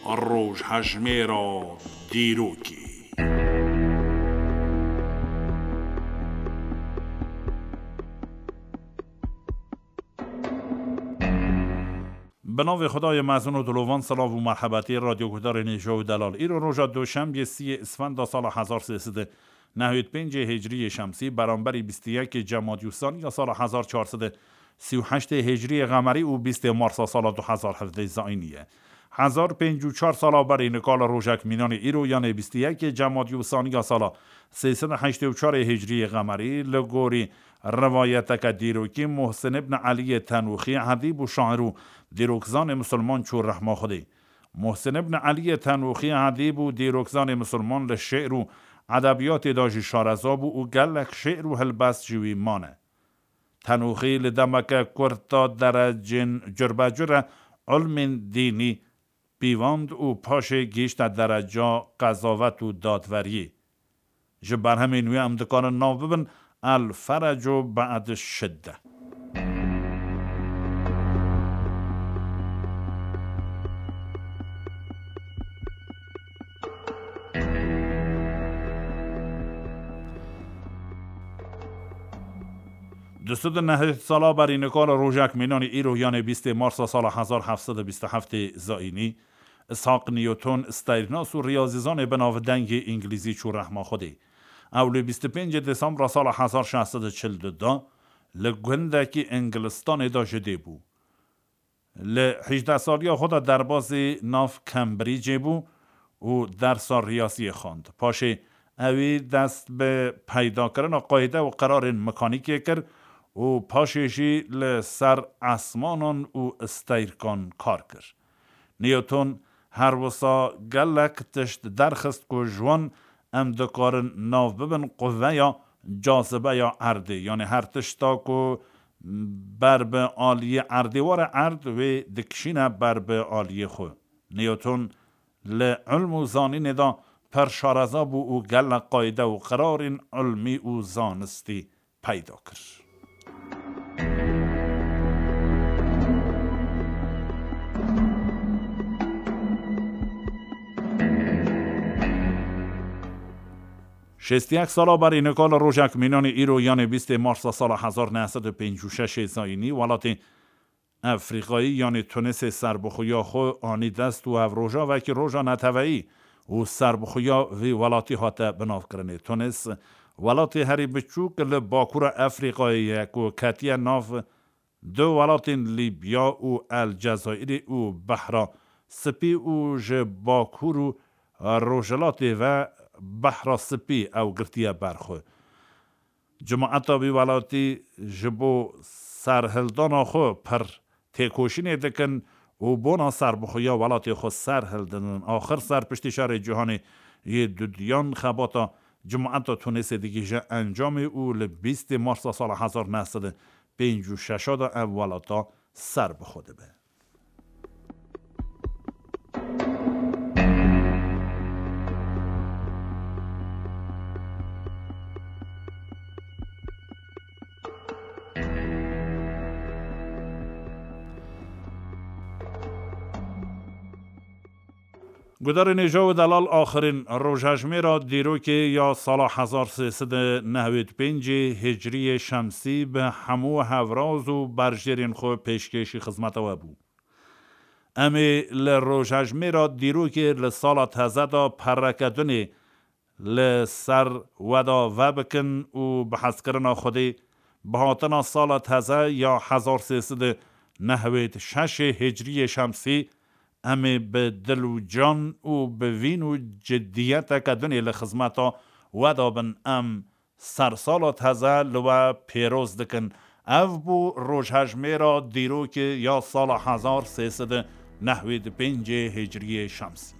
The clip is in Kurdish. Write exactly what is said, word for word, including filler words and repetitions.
Rojhejmêra dîrokê. Bi navê Xwedayê mezin û dilovan, silav û merhebetî radyoguhdarên hêja û delal. Îro roja Duşembiyê siyê Isfenda sala hezar sê sed û nehwêd pêncê Hicriyê Şemsî, beramberî bîst û yekê Cemadî Usaniya sala hezar çar sed û sî û heştê Hicriyê Xemerî û bîstê Marsa sala du hezar hevdeh Zayînî ye. Hezar pêncî û çar sala berî nika li rojek mînanê îro, yanê bîst û yekê Cemadî Usaniya sala sê sed û heştê û çarê Hicriyê Xemerî, li gorî rivayeteke dîrokî Muhsin ibn Eliyê Tenûxî edîb û şair û dîrokzanê misilman çû rehma Xwedê. Muhsin ibn Eliyê Tenûxî edîb û dîrokzanê misilman li şi'r û edebiyatê de jî şareza bû û gelek şi'r û helbest ji wî mane. Tenûxî li demeke kurt de derecên curbecure ilmên dînî pîvand û paşê gihîşte dereca qezavet û dadveriyê. Ji berhemên wê em dikarin nav bibin El Ferecu Be'd Şidde. Du sed û nehwêd sala berî nika li rojek mînanî îro, yanê bîstê Marsa sala hezar heft sed û bîst û heftê Zayînî, Ishak Newton, steyrnas û riyazîzanê bi navdengê îngilîzî çû rehma Xwedê. Ew li bîst û pêncê Desembra sala hezar şeş sed û çil du de li gundekî Îngilistanê de ji dê bû. Li hejdeh saliya xwe de derbasî nav Cambridgeê bû û dersa riyaziyê xwend. Paşê ewî dest bi peydakirina qayde û qerarên mekanîkê kir û paşê jî li ser esmanan û steyrkan kar kir. Newton her wisa gelek tişt derxist ku ji wan em dikarin nav bibin quveya cazibeya erdê. Yanê her tişta ku ber bi aliyê erdê were, erd wê dikişîne ber bi aliyê xwe. Newton li ilm û zanînê de pir şareza bû û gelek qayde û qerarên ilmî û zanistî peyda kir. Şêst û yek sala berî nika li rojek mînanê îro, yanê bîstê Marsa sala hezar neh sed û pêncî û şeşê Zayînî, welatê Efrîqayî, yanê Tunisê, serbixweya xwe anî dest û ev roja wekî roja neteweyî û serbixweya vî welatî hate binavkirinê. Tunis welatê herî biçûk li Bakûra Efrîqayê ye ku ketiye nav du welatên Lîbya û El Cezayirê û Behra Spî û ji Bakûr û Rojhilatê ve Behra Spî ew girtiye ber xwe. Cemaeta vî welatî ji bo serhildana xwe pir têkoşînê dikin û bona serbixweya welatê xwe serhildidin. Axir ser piştî şerê cîhanê yê dudiyan xebata cemaeta Tunisê digihîje encamê û li bîstê Marsa sala hezar neh sed û pêncî û şeş de ev welata serbixwe dibe. Gudarên hêja û delal, axirîn rojhejmêra dîrokê ya sala hezar sê sed û nehwêd pêncê Hicriyê Şemsî bi hemû hevraz û berjêrên xwe pêşkêşî xizmeta we bû. Em ê li rojhejmêra dîrokê li sala teze de pereke dunê li ser we de vebikin û bi hezkirina Xwedê, bi hatina sala teze ya hezar sê sed û nehwêd şeşê Hicriyê Şemsî, em ê bi dil û can û bi vîn û ciddiyeteke dunê li xizmeta we de bin. Em sersala teze li we pêroz dikin. Ev bû rojhejmêra dîrokê ya sala hezar sê sed û nehwêd pêncê Hicriyê Şemsî.